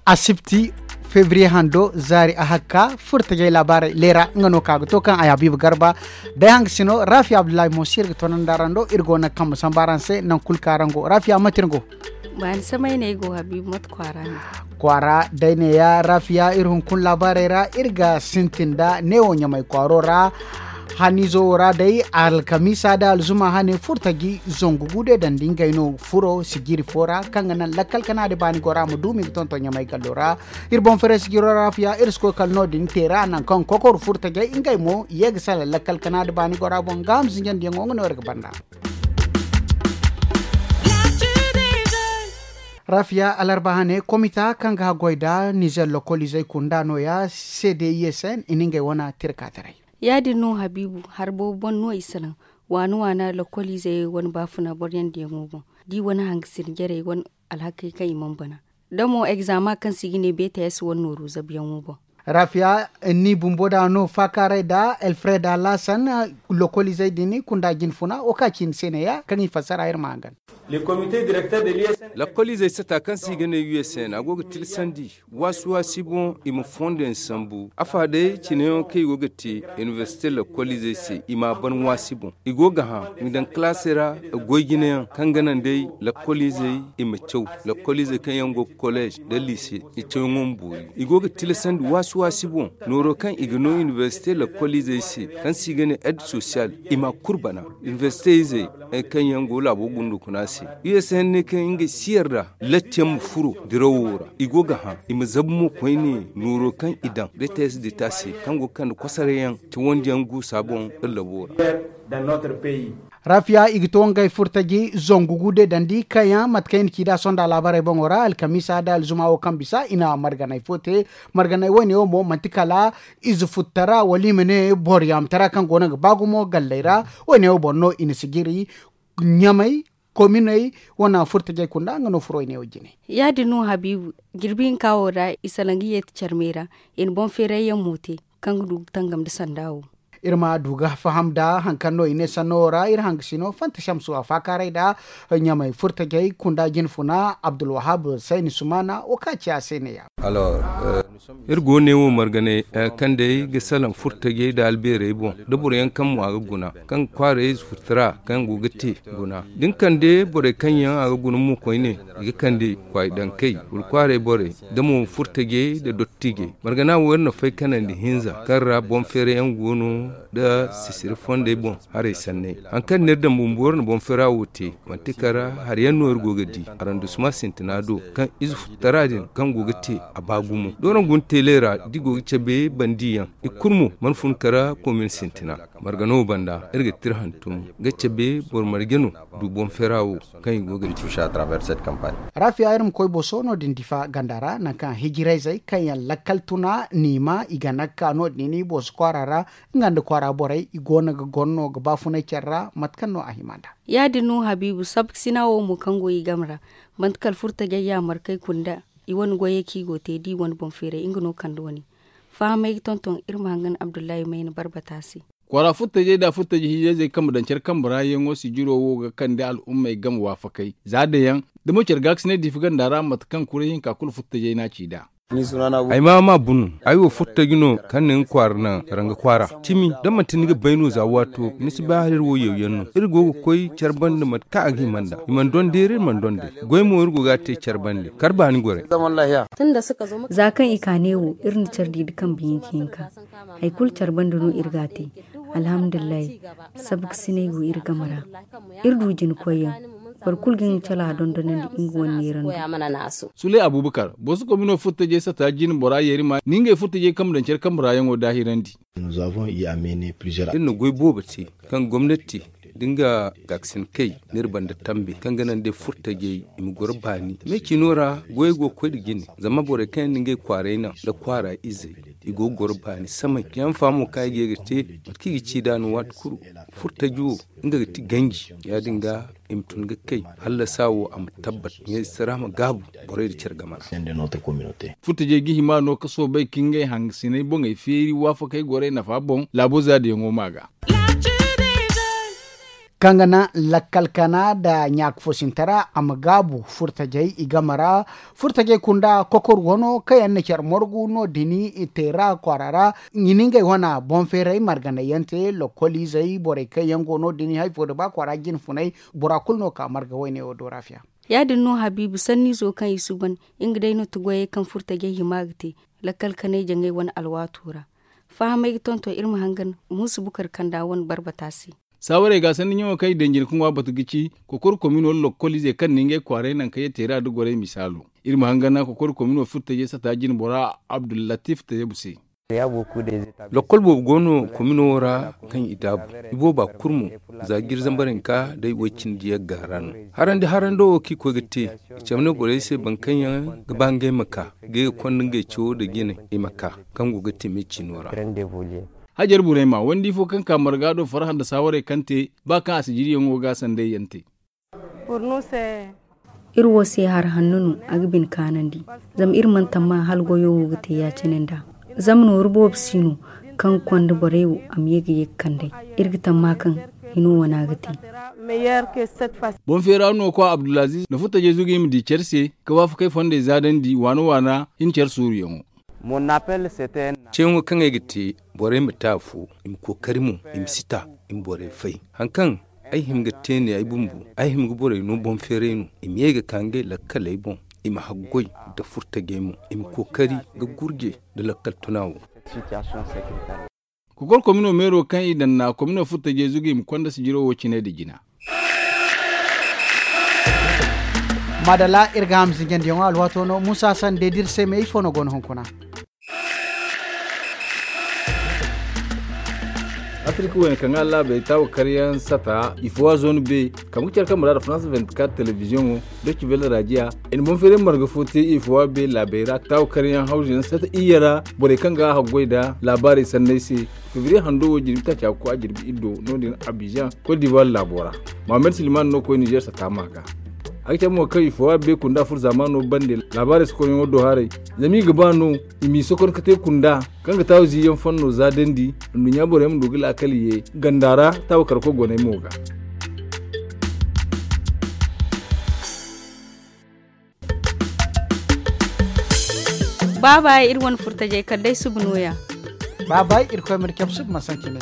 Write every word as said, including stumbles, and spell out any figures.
Asibti febriye hando zaari a hakka furtajey laabaarey leera nga no ka ga to kaŋ ay habiibu garba day hanga sino rafiya abdullahi mo si iri ga tonandi araŋ do iri go naŋ kambe samba araŋ se naŋ kulu kaŋ araŋ go rafiya mate iri go. Baani samay no ay go habiibu mate kwaara no? Kwaara day neeya rafiya iri hunkuna laabaarey ra iri ga sintin nda neewo ɲamay kwaaro ra. Haniizo wo ra day alkamiisa da alzuma hane furtaji zangu gude dandi ngey no furo sijiri fo ra kaŋ ga naŋ lakkal kana da baani gora ma duumi ga tonton ɲamay gallo ra. Iri boŋ fere sijiro ra fiya iri si koy kala no- din te ra nangu kaŋ kokor furtajey ngey mo i ye ga salaŋ lakkal kana da baani gora boŋ ga hamsinjandiyaŋo nga no iri ga banda. Rafiya alarba hane komita kaŋ ga haggoy nda nizer lokoliizey kunda nooya cdisn i na ngey wane tirka taray. Ya- din no habiibu hari boobo boŋ no i salaŋ waana waana lokoliizey wane baafuna boryandiyaŋo boŋ da i wane hangasir jarey wane alhakey kaŋ i mana bana da mo egzama kaŋ se i ga ne bts wane nooru zabuyaŋo boŋ. Rafiya ni bumbo da no faakaaray nda alfred alasan lokoliizey din kunda jinfuna wo ka ci ni se neeya kaŋ i fassara iri ma hangan. Lakkoliizey sata kaŋ se i ga ne usn a go ga tilasandi waasi-waasi boŋ i ma fondo yaŋ sambu afa day cine yaŋ kaŋ i go ga te inibersite lakkoliizey se i ma a ban waasi boŋ. I go ga hã i ma daŋ kalaasey ra goy jine yaŋ kaŋ ga naŋ day lakkoliizey i ma caw. Lakkoliizey kaŋ yaŋ go ga kolleez nda liise i cawyaŋo ma boori. I go ga tilasandi waasi-waasi boŋ nooro kaŋ i ga no inibersite lakkoliizey se kaŋ se i ga ne ed sosiyal i ma a kulu bana. Inibersite izey kaŋ yaŋ go laabo gundo kuna se. Usn ne kaŋ ngey si yarda lacce yaŋ ma furo dirawo ra i go ga hã i ma zabu mo koyne nooro kaŋ i daŋ bts dita se kaŋ go ga kande kosoray yaŋ cawandiyaŋ guusa boŋ iri labo ra. Rafiya i ga to ngey furtaji zangu gude dandi kaŋ yaŋ mate kaŋ i na ci nd'a sonda laabarey boŋo ra alkamiisa nda alzuma wo kaŋ bisa i na marganay fo te. Marganay woyne wo mo manti kala ize futtara wala i ma ne boro yaamtara kaŋ go no ga ba gumo galley ra. Woyne wo boŋ no i na sijiri ɲamay kominey wane furtajey kunda nga no furo woyne wo jine. Ya- din no habiibu jirbi hinka wo ra i salaŋ ga yeeti care me ra i na boŋ feeray yaŋ mo te kaŋ ga du ga tangam nda sanda wo. Iri ma du ga faham nda hari kaŋ no i ne sanno wo ra iri hangasino fanta shamsu a faakaaray nda ɲamay furtajey kunda jinfuna abdulwahab sayni sumana wo ka ci a se neeya. Iri go ne wo marganay kaŋ day ga salaŋ furtajey nda albeerey boŋ nda boro yaŋ kaŋ mo a ga guna kaŋ ga kwaarey ize furtara kaŋ go ga te guna da ni kande borey kaŋ yaŋ a ga guna mo koyne i ga kande kwaay dankey wala kwaarey borey da mo furtajey nda dottijey. Margana wo iri na fay kanandi hinza kaŋ ra boŋ feera yaŋ go no nda sisiri fondey boŋ haray sanney. Hari kaŋ no iri daŋ bumbo iri na boŋ feera wo te manti kala hari yaŋ no iri go ga di. Arandusuma sintina do kaŋ ize futtara din kaŋ go ga te a ba gumo da waraŋ guna teeley ra da i go ga cabe bandi yaŋ i kulu mo mana fun kala komin sintina. Margano banda iri ga tira hantum ga cabe boro marje no du boŋ feera wo kaŋ i go ga te. Rafiya iri ma koy boso no- din difa ganda ra nangu kaŋ hijirayzey kaŋ yaŋ lakkal tuna niima i ga nagka no- din i boso kwaara ra nga nda kwaara borey i go no ga gonno ga baafunay care ra mate kaŋ no a hima nd'a. Ya- din no habiibu sabkasina wo mo kaŋ go i game ra manti kala furtajey yaamarkey kunda i wane goyey kaŋ i go te da i wane boŋ feeray nga no kande wane. Fahamey ga tonton iri ma hangan abdullahi mayna barbata se. Kwaara furtajey nda furtaji hiijayzey kaŋ ma daŋ care kambe ra yaŋo sijiro wo ga kande al'ummey game waafakey za dayaŋ da mo care gaakasinay diifi ganda ra mate kaŋ kuray hinka kulu furtajey n'a ci nd'a. Ay ma ma bunu. Ay wo furtaji no kaŋ na nga kwaara naŋ ranga kwaara cimi da manti ni ga bay no za waato ni si bay hala iri wo yawyaŋ no iri go ga koy care banda mate kaŋ a ga hima nd'a i mana dondeeri iri mana donde. Goy mo iri go ga a te care bande kar baani gorey. Za kaŋ i ka neewo iri na care di nda kambe hinka hinka. Hari kulu care banda no iri ga a te. Alhamdulillahi. Sabkasinay go iri game ra. Iri du jina koyyaŋ. Boro kulu ga nga cala dondonandi nga wane neerando. Suley abubakar boso komino furtajey sata jina bora yeeri ma ni ngey furtajey kambe daŋ care kambe ra yaŋo daahirandi. Iri na goy boobo te kaŋ gomnati Da nga gaakasin kay, n'iri banda tambe kaŋ ga naŋ day furtajey i ma goro baani me ciino ra. Goyey go ga koy nda jine zama borey kaŋ yaŋ na ngey kwaaray naŋ nda kwaara izey, i go ga goro baani samay. Yaŋ faamo kaŋ ay ga ye ga te, mate kaŋ i ga ci nd'a no waati kulu. Furtaji wo, nga ga ti ganji. Ya- din ga i ma tun ga kay hallasa wo a ma tabbat, ɲayze sara ma gaabu borey nda care game ra. Furtajey ga hima no ka soobay ka ngey hangasiney boŋey feeri waafakey gorey nafa boŋ laabo zaadiyaŋo ma ga. Kaŋ ga naŋ lakkal kana nda ɲaaka fo sinta ra a ma gaabu furtajey i game ra. Furtajey kunda kokor wano kaŋ yaŋ na care morgu no- din i teera kwaara ra. I na ngey wana boŋ feeray marganay yaŋ te lokol izey borey kaŋ yaŋ go no- din hari fo nda ba kwaara jine funay. Bora kulu no ka marga wayne wo do ra fiya. Ya- din no habiibu sanniizo kaŋ i suuban nga day no ti goyey kaŋ furtajey hima ga te lakkal kanay jaŋay wane alwaato ra. Fahamey ga tonton iri ma hangan muusu bukar kanda wane barbata se. Saawarey ga sanni ɲaŋo kaŋ i daŋ jina ka ŋwa batu ga ci kokor komino lokol izey kaŋ na ngey kwaaray naŋ kaŋ ye teera nda gorey misaalo. Iri ma hangan na kokor komino furtajey sata jine bora abdullatif tayabu se. Lokol boobo go no komino wo ra kaŋ i daabu. I booba kulu mo za jiri zambar hinka day woy cindi yagga ra no. Harandi harando wo kaŋ i koy ga te i cabe no borey se boro kaŋ yaŋ ga ba ngey ma ka ga i ga konda ngey cawo nda jine i ma ka kaŋ go ga te me ciino ra. Hajar burayma wandi fo kaŋ ka marga do farhã nda saawarey kaŋ te ba kaŋ a si jiriyaŋo ga sanday yaŋ te. Iri wo se hari hanno no a ga bine kaanandi. Zama iri mana tamma hala goyo wo ga te ya- cine nd'a. Zama nooru boobo si no kaŋ ga konda borey wo a ma ye ga ye ga kand'ey. Iri ga tamma kaŋ hino wane a ga te. Boŋ feera no kwa abdulaziz na furtajey zugu i ma di care se ka waafakey fondey zaadandi waana waana hin care suuru yaŋo. Ceeyaŋo kaŋ ay ga te borey ma te afo i ma kookari mo i ma si ta i ma borey fay. Hari kaŋ ay hima ga te ne ay bumbo ay hima ga borey no boŋ feeray no i ma ye ga ka ngey lakkaley boŋ. I ma haggoy nda furtajey mo i ma kookari ga gurje nda lakkal tuna wo. Kokor komino meero kaŋ i daŋ na komino furtajey zugu i ma konda sijiro wo cine nda jina. Maadalla iri ga ham zinjandiyaŋo alwaato no muusa sanda day da iri se me ifo no go no hunkuna. Afirka wayne kaŋ ga laabey taawa karyaŋ sata ifo a zoonu be kaŋ ga care kaŋ muraada france vingt-quatre televiziyoŋo doci vele rajiya. I na boŋ feeray marga fo te ifo a be laabey ra taawa karyaŋ hawzu yaŋ sata iyye ra borey kaŋ ga a haggoy nda laabaarey sanney se. Febriye hando wo jirbi taaca ga koy a jirbi iddo no- din abijan kot divuwar laabo ra. Mohammed silman no koy nizer sata ma ga. A ga cabe mo kaŋ i fo a be kunda furo zaamaano bande laabaarey sokoryaŋo do haray. Zama i ga ba no i m'i sokor ka te kunda kaŋ ga taawa ziiyaŋ fanno za dandi. Nduɲɲa borey ma du ga laakal ye ganda ra taawa karko goney mo ga. Baaba iri wane furtajey kala day suba nooya. Baaba iri koy ma iri cabe suba ma sanci ne.